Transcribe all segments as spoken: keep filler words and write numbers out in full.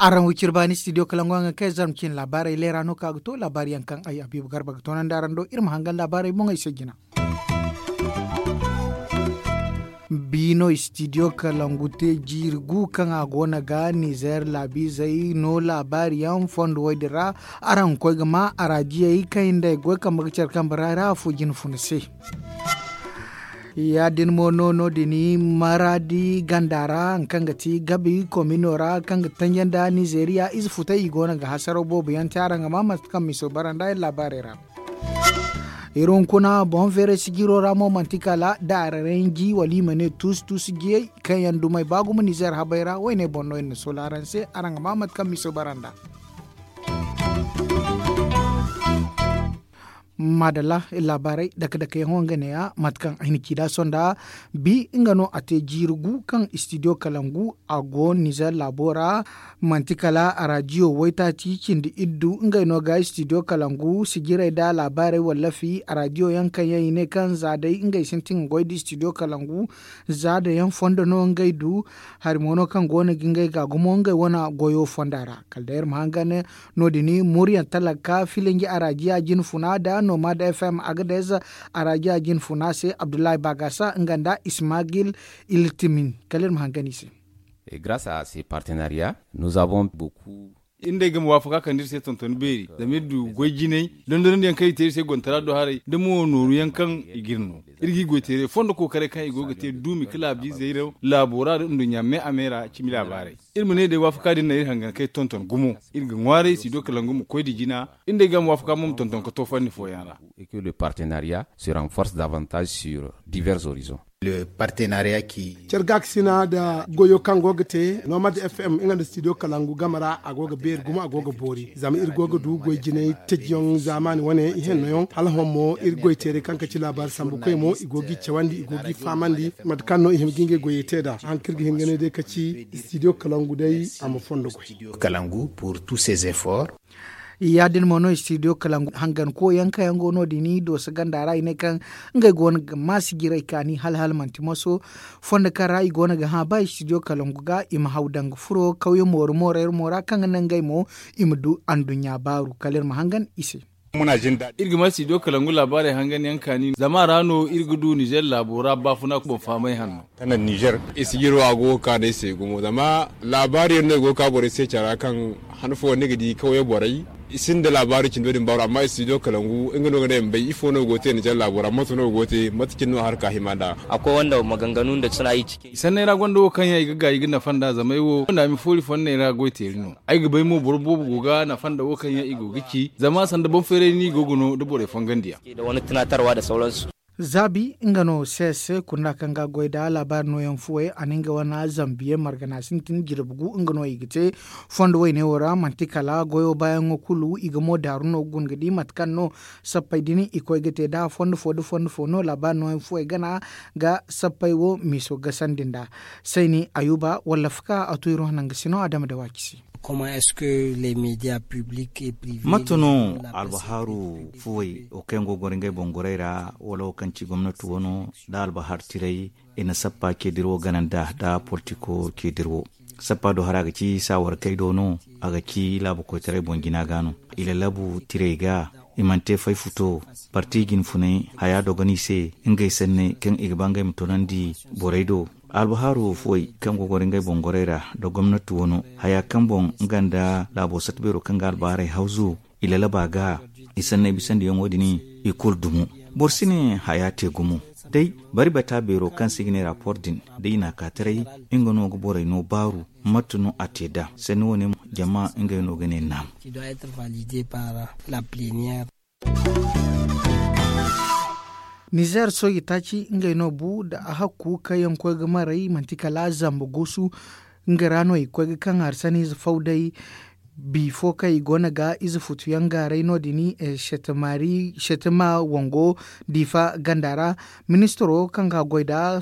Araŋ wo ciri baani studio kalangu a ga kay zarma cine laabaarey leera no ka ga to laabaari yaŋ kaŋ ay habiibu garba ga toonandi araŋ do iri ma hangan laabaarey boŋey se jina. Biino studio kalangu te jiiri gu kaŋ a go no ga nizeer laabiizey no laabaari yaŋ fondo wo- din ra. Araŋ ga koy ga ma araajiyey kaŋ i nda ay goy kambe ga care kambe ra ra afo jina funa se. Ya- din mo no no- din maraadi ganda ra hari kaŋ ga ti gabi komino ra kaŋ ga tanjanda nizeeriya ize futay i go no ga hasaraw boobo yaŋ te araŋ ga ma mate kaŋ miso bara nda ay laabaarey ra. Iri hunkuna boŋ feeray sijiro ra mo manti kala daararanji wala i ma ne tuusu tuusu jiyey kaŋ yaŋ dumey ba gumo nizeer habey ra woyne boŋ no iri na soola araŋ se araŋ ga ma mate kaŋ miso bara nda. Maadalla iri laabaarey dake dake yaŋo nga neeya mate kaŋ ay na ci nd'a sonda bi nga no a te jiiri gu kaŋ studio kalangu a go nizeer laabo ra. Manti kala araadiyo waytaaci cindi iddu ngey no ga studio kalangu sijirey nda laabaarey wallafi araadiyo yaŋ kaŋ yaŋ i ne kaŋ za day ngey sintin ga goy nda studio kalangu za da yaŋ fondo no ngey du. Hari mo no kaŋ go no ga ngey ga gumo ngey wane goyo fonda ra kala day iri ma hangan no- din muryaŋ talaka filinji araadiya jine funa nda nomad fm agadez araadiya jine funa se abdullahi bagasa nga nda ismagil iltimin kala iri ma hangan i se. Grâce à ces partenariats nous avons beaucoup. Iri nda ay ga ma waafaka kande iri se tontoni beeri zama iri du goy jinay dondonandiyaŋ kaŋ i te iri se gontara do haray da mo nooru yaŋ kaŋ i ga iri no. Iri ga i goy teeray fondo kookaray kaŋ i go ga te duumi ka laabiizey ra laabo ra nda nduɲɲa me a me ra cimi laabaarey. Iri ma ne day waafaka din naŋ iri hangan kaŋ ay tonton gumo. Iri ga ŋwaaray studio kalangu ma koy nda jina. Iri nda ay ga ma waafaka mo ma tonton ka to fanni fooyaŋ ra. Partenariat se renforce davantage sur divers horizons. Care gaakasina nda goyo kaŋ go ga te nomad fm nga nda studio kalangu game ra a go ga beeri gumo a go ga boori zama iri go ga du goy jinay tajiyaŋ zaamaani wane ihenno yaŋ hala hõ mo iri goy teeray kaŋ ka ci laabaari sambu koy mo i go ga i cawandi i go ga i fahamandi mate kaŋ no i hima ga ngey goyey te nd'a haŋ kaŋ iri ga hin ga ne day ka ci studio kalangu day a ma fondo goy. Kalangu pour tous ces efforts. Ya- din mo no studio kalangu hangan koyaŋ kaŋ yaŋ go no- din dooso ganda ra i ne kaŋ ngey go no ga ma sijirey kaani hala hala manti moso fondo kaŋ ra i go no ga hã ba studio kalangu ga i ma haw danga furo kawye mooru moorey ra mo ra kaŋ ga naŋ ngey mo i ma du anduɲɲa baaru kala iri ma hangan i se. Iri ga ma studio kalangu laabaarey hangan yaŋ kaani zama a ra no iri ga du nizer laabo ra baafuna boŋ fahamay hanno. Kanan nizer. Sijiro a go ga kaanu ay se gumo zama laabaari yaŋ no i go ga ka borey se care ra kaŋ han fooyaŋ ni ga di kawye borey i sinda laabaari cindo din baaru amma studio kalangu nga no ga ne ma bay ifo no go ga te nizer laabo ra mate no go ga te mate cine no a harka hima nd'a. Akwai wanda maganganu da suna yi cikin. Sanney ra gonda wo kaŋ yaŋ i ga gaay i ga nafa nd'a zama ay wo wanda a ma foori fonney ra goy teeri no. Ay ga bay mo boro boobo go ga nafa nda wo kaŋ yaŋ i go ga ci zama sanda boŋ feeray no i go ga no da borey fongandiyaŋ. Da wani tunatarwa da sauransu. Zaabi nga no se se kunda kaŋ ga goy da laabaari nooyaŋ fuwey a na nga wane zambiye margana sintin jirbi gu nga no i ga te. Fondo woyne wo ra manti kala goyo baayaŋo kulu i ga mo daaru no ga guna ga di mate kaŋ no sappey din i koy ga te da fondo fo da fondo fo no laabaari nooyaŋ fuwey gana ga sappey wo miiso gasandi nd'a. Sayni ayuba walla faka a tu iri wane nangu si no adama da waaci se. Mate no albahaaru fuwey wo kaŋ yaŋ go ga goro ngey boŋ gorey ra wala wo kaŋ ci gomnati wano nda albahaaru tirey i na sappa ceediri wo gana nd'a nda politiko ceediri wo? Sappa do hara a ga ci saawarkey do no a ga ci laabu koytaray boŋ jina ga no i lalabu tirey ga i mana te fay futo parti jinfunay haya dogon i se ngey sanney kaŋ i ga ba ngey ma toonandi borey do. Albahaaru fuwey kaŋ go ga goro ngey boŋ gorey ra nda gomnati wano haya kaŋ boŋ nga nda laabo sata beero kaŋ ga albahaarey hawzu i lalaba ga i sanney bisandiyaŋo din i kulu dumo. Boro si ne haya te gumo day bari bata beero kaŋ se i ga ne rapport din da i n'a ka taray nga no ga borey no baaru mate no a te nd'a sanni wane jama ngey no ga ne naam. Nizer soojey taaci ngey no bu nda a hakku kaŋ yaŋ koy ga maray manti kala zamba guusu. Nga ra no i ga koy ga kaŋ hari saniize faw day bi fo kaŋ i go no ga ize futu yaŋ gaaray no- din. Setima wango diifa ganda ra ministiro kaŋ ga goy nda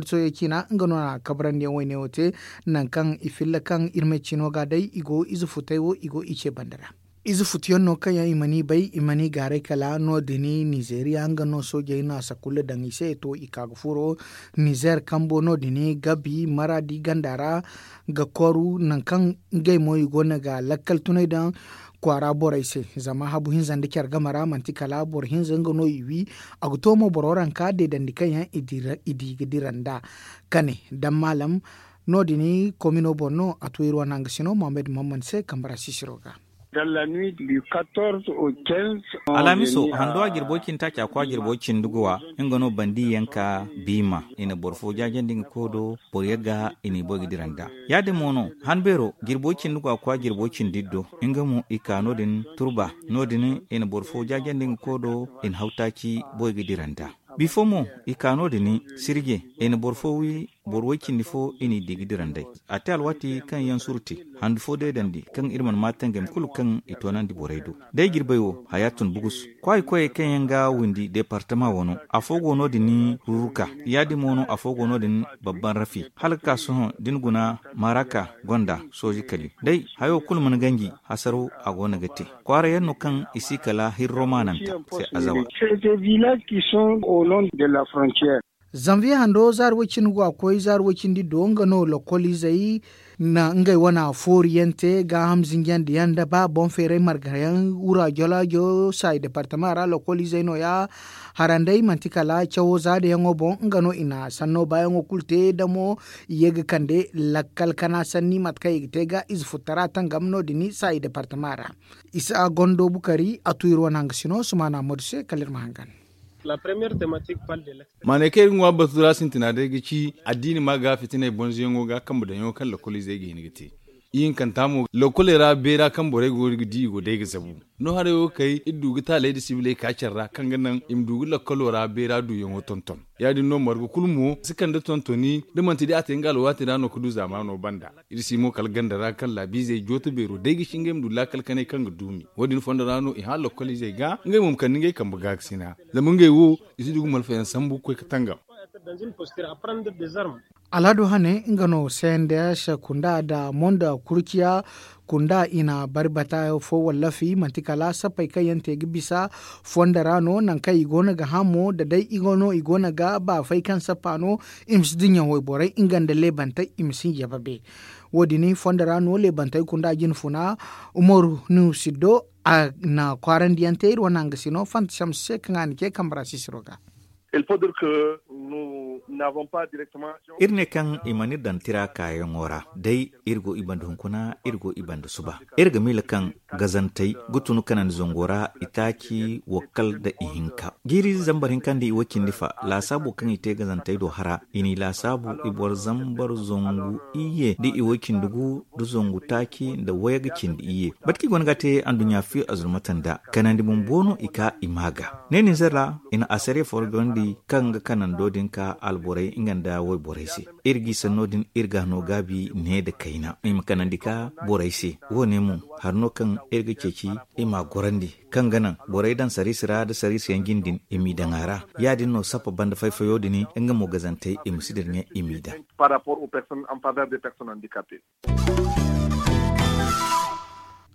soojey ciina nga no na kabrandi yaŋ wayne wo te. Nangu kaŋ i filla kaŋ iri ma ay ciino ga day i go ize futay wo i go i ce banda ra. Ize futuyaŋ no kaŋ yaŋ i mana i bay, i mana i gaaray kala no- din. Nizeeriya nga no soojey na sakulla daŋ i se to i ka ga furo nizeer kambo no- din, gabi maraadi ganda ra ga koru nangu kaŋ ngey mo i go no ga lakkal tunay daŋ kwaara borey se. Zama habu hinza nda care game ra manti kala boro hinza nga no i wi. A ga to mo boro ranka deedandi kaŋ yaŋ i di ga dira nd'a kane daŋ maalam. No- din komino boŋ no a to iri wane hangasino mohammed mammand se kambe ra sisiro ga. Alamiso hando a jirbo cindi taaci a kwa jirbo cindi guwa nga no bandi yaŋ ka biima i na boro fo jaajandi nga koy do. Boro yagga i n'i boy ga dira nd'a. Ya- din mo no han beero jirbo cindi guwa kwa jirbo cindi iddo nga mo i ka no- din turba no- din i na boro fo jaajandi nga koy do. I na haw taaci boy ga dira nd'a. Bifo mo i ka no- din sirje i na boro fo wi. Boro way cindi fo i n'i di ga dira nd'ey. A te alwaati kaŋ yaŋ surti handu fo deedandi kaŋ iri mana maate ngey ma kulu kaŋ i toonandi borey do. Day jirbey wo haya tun bugus. Kwaayi koyey kaŋ yaŋ ga windi departama wano afo go no- din ruruka. Ya- din mo no afo go no- din babban rafi hala ga ka sohõ da ni guna maraka gonda sooji kali day hayo kulu mana ganji. Hasaro a go no ga te kwaara yaŋ no kaŋ i si kala hirro maananta se azawa. Zanviye hando zaari way- cindi go a koy zaari way- cindi do nga no lokol izey na ngey wane foori yaŋ te gaaham zinjandi yaŋ nda ba boŋ feeray marga yaŋ wura jolaajo saayi departama ra lokol izey no- ya. Harandey manti kala cawo zaada yaŋo boŋ nga no i na sanno baayaŋo kulu te damo i ye ga kande lakkal kana sanni mate kaŋ i ga te ga ize futtara tangam no- din saayi departama ra. Isa gondo bukari a tu iri wane hangasino sumaana modu se kala iri ma hangan. Maanay kaŋ iri ga ŋwa batu ra sintina day ga ci addiini ma ga fitinay bonzoyaŋo ga kambe daŋyaŋo kaŋ lokoliizey ga hin ga te. Ihinkanta mo lokkoley ra beera kaŋ borey go ga di i go day ga zabu. No haray wo kay iri du ga taaley nda sibiley ka care ra kaŋ ga naŋ i ma du ga lokkolo ra beera duuyaŋo tonton. Ya- din no marga kulu mo si kande tontoni da manti day a te nga alwaati ra no ga du zaamaano banda. Iri si mo kala ganda ra kaŋ laabiizey jooto beero day ga si ngey ma du laakal kanay kaŋ ga duumi wo- din fondo ra no i hã lokkoliizey ga ngey mo ma kande ngey kambe gaakasina. Zama ngey wo i si du ga malfayaŋ sambu ga koy ga tangam. Alhado hane nga no sendes kunda nda mondo kurciya kunda i na bari bata fo wallafi manti kala sappey kaŋ yaŋ te ga bisa fondo ra no nangu kaŋ i go no ga hã mo da day i go no i go no ga baafay kaŋ sappa no. I ma si dinya wayborey nga nda leebantey i ma si hinja babe. Wo- din fondo ra no leebantey kunda jine funa umaru nusiddo a na kwaarandiyaŋ te iri wane hangasino fanta shamsu se kaŋ a na ce kambe ra sisiro ga. Iri ne kaŋ i mana iri daŋ tira kaayaŋo ra day iri go i banda hunkuna iri go i banda suba. Iri ga miila kaŋ gazantey ga tun kanandi zango ra itaaci wakkal nda ihinka jiiri zambar hinka nda iway cindi fa laasaabo kaŋ i te gazantey do hara i n'i laasaabu i boro zambar zangu iyye nda iway cindi gu nda zangu taaci nda wayga cindi iyye. Mate kaŋ i go no ga a te anduɲɲa fiyo azurmata nda kanandi bumbo no i ka i ma ga ne ninzer ra i na asariya foro gorandi kaŋ ga kanando din ka alborey nga nda wayborey se. Iri g'i sanno din iri ga no gaabi ne nda kayna i ma kanandi ka borey se. Wo- ne mo hari no kaŋ iri ga ceeci i m'a gorandi kaŋ ga naŋ borey daŋ sariisi ra nda sariisi yaŋ jine din i m'i daŋ a ra. Ya- din no sappa banda fay-fayo din nga mo gazantey i ma si dira ɲa i m'i daŋ.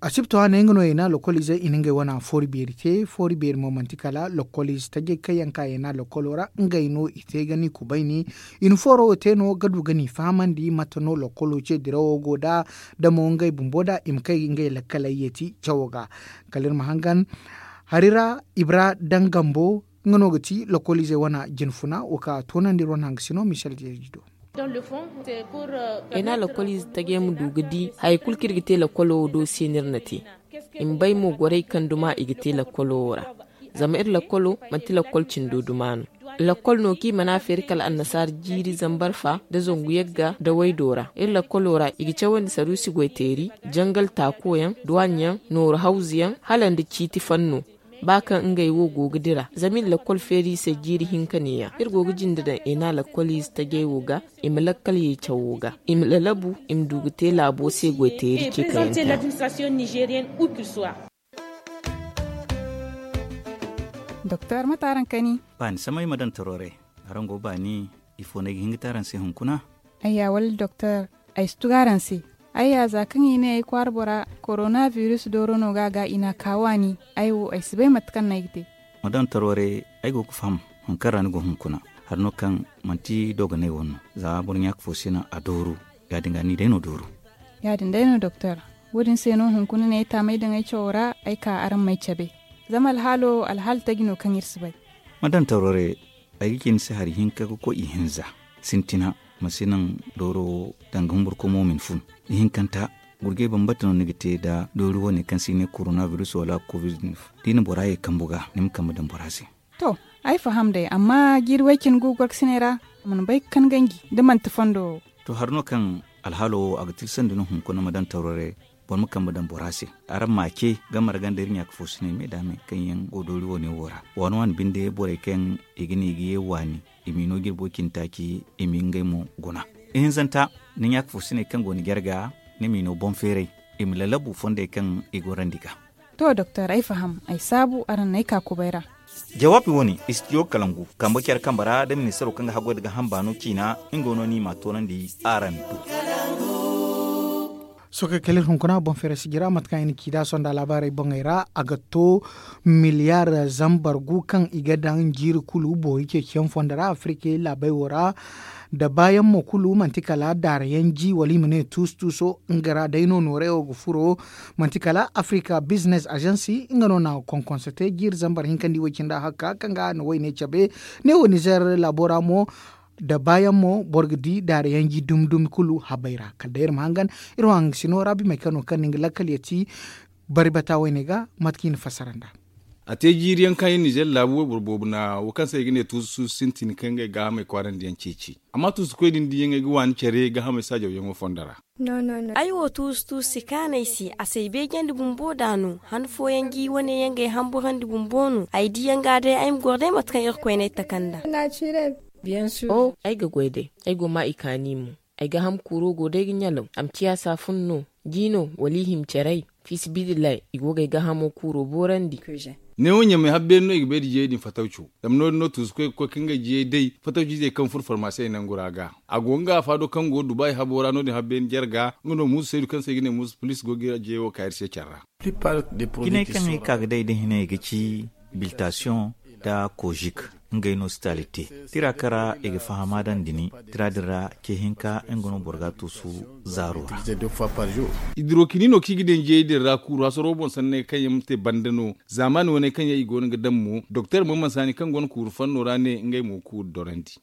Asibto a ne nga no i na lokoliizey i na ngey wane foori beeri te foori beeri mo manti kala lokoliize tajey kaŋ yaŋ ka i na lokolo ra ngey no i te ga ni kubayni. I na fooro wo te no ga du ga ni fahamandi mate no lokolo ce dirawo go nd'a da mo ngey bumbo nd'a i ma kay ngey lakkaley yeeti cawo ga. Kala iri ma hangan hari ra ibra daŋ gambo nga no ga ti lokoliizey wane jinfuna wo ka toonandi iri wane hangasino michel jeeji do. Ay na lakkol ize tajey ma du ga di haya kulu kaŋ iri ga te lakkolo wo do se no iri na te. I ma bay mo gorey kaŋ duma i ga te lakkolo wo ra. Zama iri lakkolo manti lakkol cindo duma no. Lakkol no kaŋ i mana feeri kala annasaara jiiri zambar fa nda zangu yagga nda waydo ra iri lakkolo ra i ga cawandi saruusi goyteeri, jangal taakoyaŋ, duwaaɲaŋ, nooru hawzuyaŋ, hala nda ciiti fanno. Ba kaŋ ngey wo go ga dira zama iri lakkol feeri i se jiiri hinka neeya iri go ga jinde daŋ i na lakkol ize tajey wo ga. I ma lakkal ye cawo ga i ma lalabu i ma du ga te laabo se goyteeri ce kaŋ yaŋ te. Doktor mate araŋ kani? Baani samay ma daŋ toroore. Araŋ go baani? Ifo no ay ga hin ga te araŋ se hunkuna? Ayya wala doktor, ay si tugu araŋ se. Ay ya za kaŋ i ne ay kwaara bora, korona biris dooro no ga a ga i n'a ka waani. Ay wo ay si bay mate kaŋ no ay ga te. Ma daŋ tarware, ay go ga faham hari kaŋ ra ni go hunkuna. Hari no kaŋ manti dooganay wane no. Za boro ɲaaka fo si naŋ a dooru, ya- din ga ni day no dooru. Ya- din day no doktor. Wo- din se no hunkuna ne ay taamay daŋ ay cawo ra, ay ka araŋ m'ay cabe. Zama alhaalo alhaala taji no kaŋ iri si bay. Ma daŋ tarware, ay ga ci ni se hari hinka ga koy ihinza. Sintina, ma si naŋ dooro wo daŋ ga humburkomo ma ni fun. Ihinkanta, gurjay bambata no ni ga te nda doori wane kaŋ se i ne korona biris wala covid. Da i na bora ye kambu ga, ni ma kambe daŋ bora se. To, ay faham day, amma jiiri way cine gu gorkasiney ra, a mana bay ga kan ganji da manti fondo wo. To, hari no kaŋ alhaalo wo a ga tilsandi no hunkuna ma daŋ tawrare, boro ma kambe daŋ bora se. Araŋ ma a ce, gamar ganda iri ɲaaka fo siney me da me kaŋ yaŋ go doori wane wo ra. Waani waani binde borey kaŋ i ga ne i ga ye waani, i m'i no jirbo cine taaci, i m'i ngey mo guna. Ihinzanta, ni ɲaaka fo siney kaŋ go ni jarga, ni m'i no boŋ feeray, i ma lalabu fondey kaŋ i gorandi ga. To doktor, ay faham, ay saabu araŋ n'ay ka kubay ra. Jawaabi wane, istidiyo kalangu kambe care kambe ra da ministaro kaŋ ga haggoy da gaaham baano ciina, nga no ni m'a toonandi araŋ do. Sohõ kala iri hunkuna boŋ feeray sijira mate kaŋ i na ci nd'a sonda laabaarey boŋey ra, a ga to miliyaar zambar gu kaŋ i ga daŋ jiiri kulu boori ceeciyaŋ fondo ra afirika laabey wo ra. Da baayaŋ mo kulu manti kala daarayaŋ ji wala i ma ne tuusu-tuuso nga ra day no noorey wo ga furo. Manti kala africa business agency nga no na konkonso te jiiri zambar hinkandi way cindi ahakka kaŋ ga a na wayne cabe. Ne wo nizer laabo ra mo, da baayaŋ mo boro ga di daarayaŋ ji dumi-dumi kulu habey ra kala day iri ma hangan. Iri wo hangasino ra bimey kaŋ no kaŋ na nga lakkal ya ti bari bata wayne ga mate kaŋ i na fassara nd'a. A te jiiri yaŋ kaŋ iri nizer laabu wayboro boobo na wo kaŋ se i ga ne tuusu-tuusu sintin kaŋ ngey gaahamey kwaarandi yaŋ ceeci. Amma tuusukoy din diyaŋey ga waani care gaahamey saajawyaŋo fondo ra. Ay wo tuusu-tuusu si kaanu ay se, a si ay beejandi bumbo nd'a no. Han fooyaŋ ga i wane yaŋ ga ay hamburandi bumbo no. Ay diyaŋ ga day ay ma goro day mate kaŋ irkoy n'ay taka nd'a. Ay ga goy day, ay go ma i kaani mo. Ay gaaham kuuro go day ga ɲalaw. A ma ciya saafun no, ji no, wala i hima caray. Fiisabilillahi, i go ga ay gaahamo kuuro boorandi. Neewo ɲamay habbeeni no i ga bay nda jiyey din fatawco. Zama no- din no tuusukoy ga koy ka ngey jiyey day fatawciizey kaŋ furo farmaasiyey nangu ra ga. A go nga afaado kaŋ go dubaay habo ra no- din habbeeni jarga nga no muusu saydu kaŋ se i ga ne muusu pulis go ga jiyey wo ka iri se care ra. Jinay kaŋ ay ka ga day da hinay ga ci biltasiyoŋ nda kozik. Ngey no sitaalite tira kaŋ ra i ga fahama daŋ dini. Tira din ra ce hinka nga no boro ga a tuusu zaaro ra. Hidrokini no kaŋ i ga daŋ jiyey din ra kuuru hasaro boŋ sanney kaŋ yaŋ ma te banda no. Zaamaani wane kaŋ yaŋ i go no ga daŋ mo doktor mo mansaani kaŋ go no kuuru fanno ra ne ngey mo kuuru dorandi.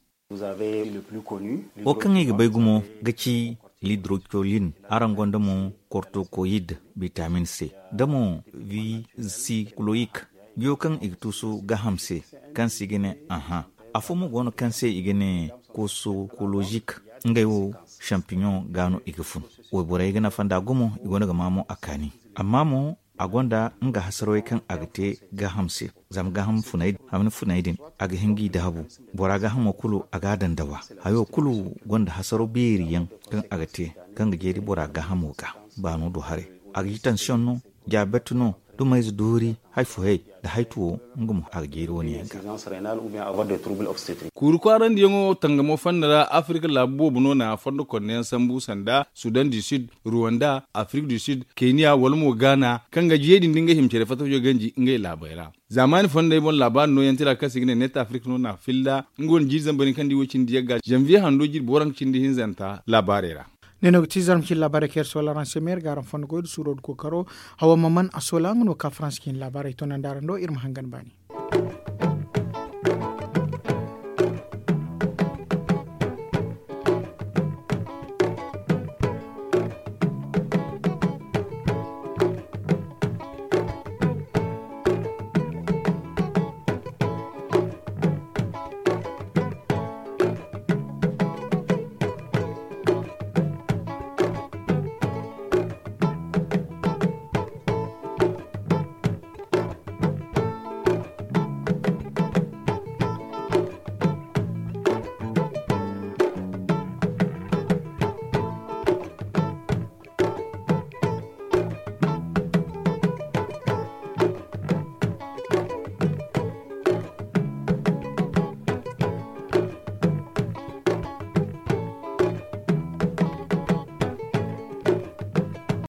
Wo kaŋ i ga bay gumo ga ci lidrocolin, araŋ gonda mo kortokoyid, bitamin c, da mo visicloyik. Biyo kaŋ i ga tuusu gaaham se, kaŋ se i ga ne aha. Afo mo go no kaŋ se i ga ne kosokolojik. Ngey wo, shampiɲoŋ ga no i ga fun. Wayborey ga nafa nd'a gumo, i go no ga maa mo a kaani. Amma mo a gonda nga hasarwey kaŋ a ga te gaaham se. Zama gaaham funey din a ga hin g'i daabu. Bora gaahamo kulu a g'a daŋ dawa. Hayo kulu gonda hasaro beeri yaŋ kaŋ a ga te, kaŋ ga jeeri bora gaahamo ga. Baano do haray, a ga ci tansiyoŋ no, diyaabet no, dumayze doori, hay fo hay, nda haytu wo, nga mo a ga jeeri wane yaŋ ga. Kuuru kwaarandiyaŋo tangamo fonda ra afirka laabu boobo no na fondo konneyaŋ sambu sanda sudan du sud, ruwanda, afirka du sud, keniya wala mo gaana kaŋ ga jiyey din da ngey hima care fatawco ganji ngey laabey ra. Zaamaani fondey boŋ laabaari nooyaŋ tira kaŋ se i ga ne net afirka no na filla nga wane jiiri zambar hinka nda i wo cindi yagga zanviye hando jiiri booraŋ cindi hinzanta laabaarey ra. Ne no ga ti zarma cine laabaarey kaŋ iri soola araŋ se meera ga araŋ fondo goy nda suuro nda kookaro. Hawa maman a soola nga no ga ka faransa cine laabaarey toonandi araŋ do iri ma hangan baani.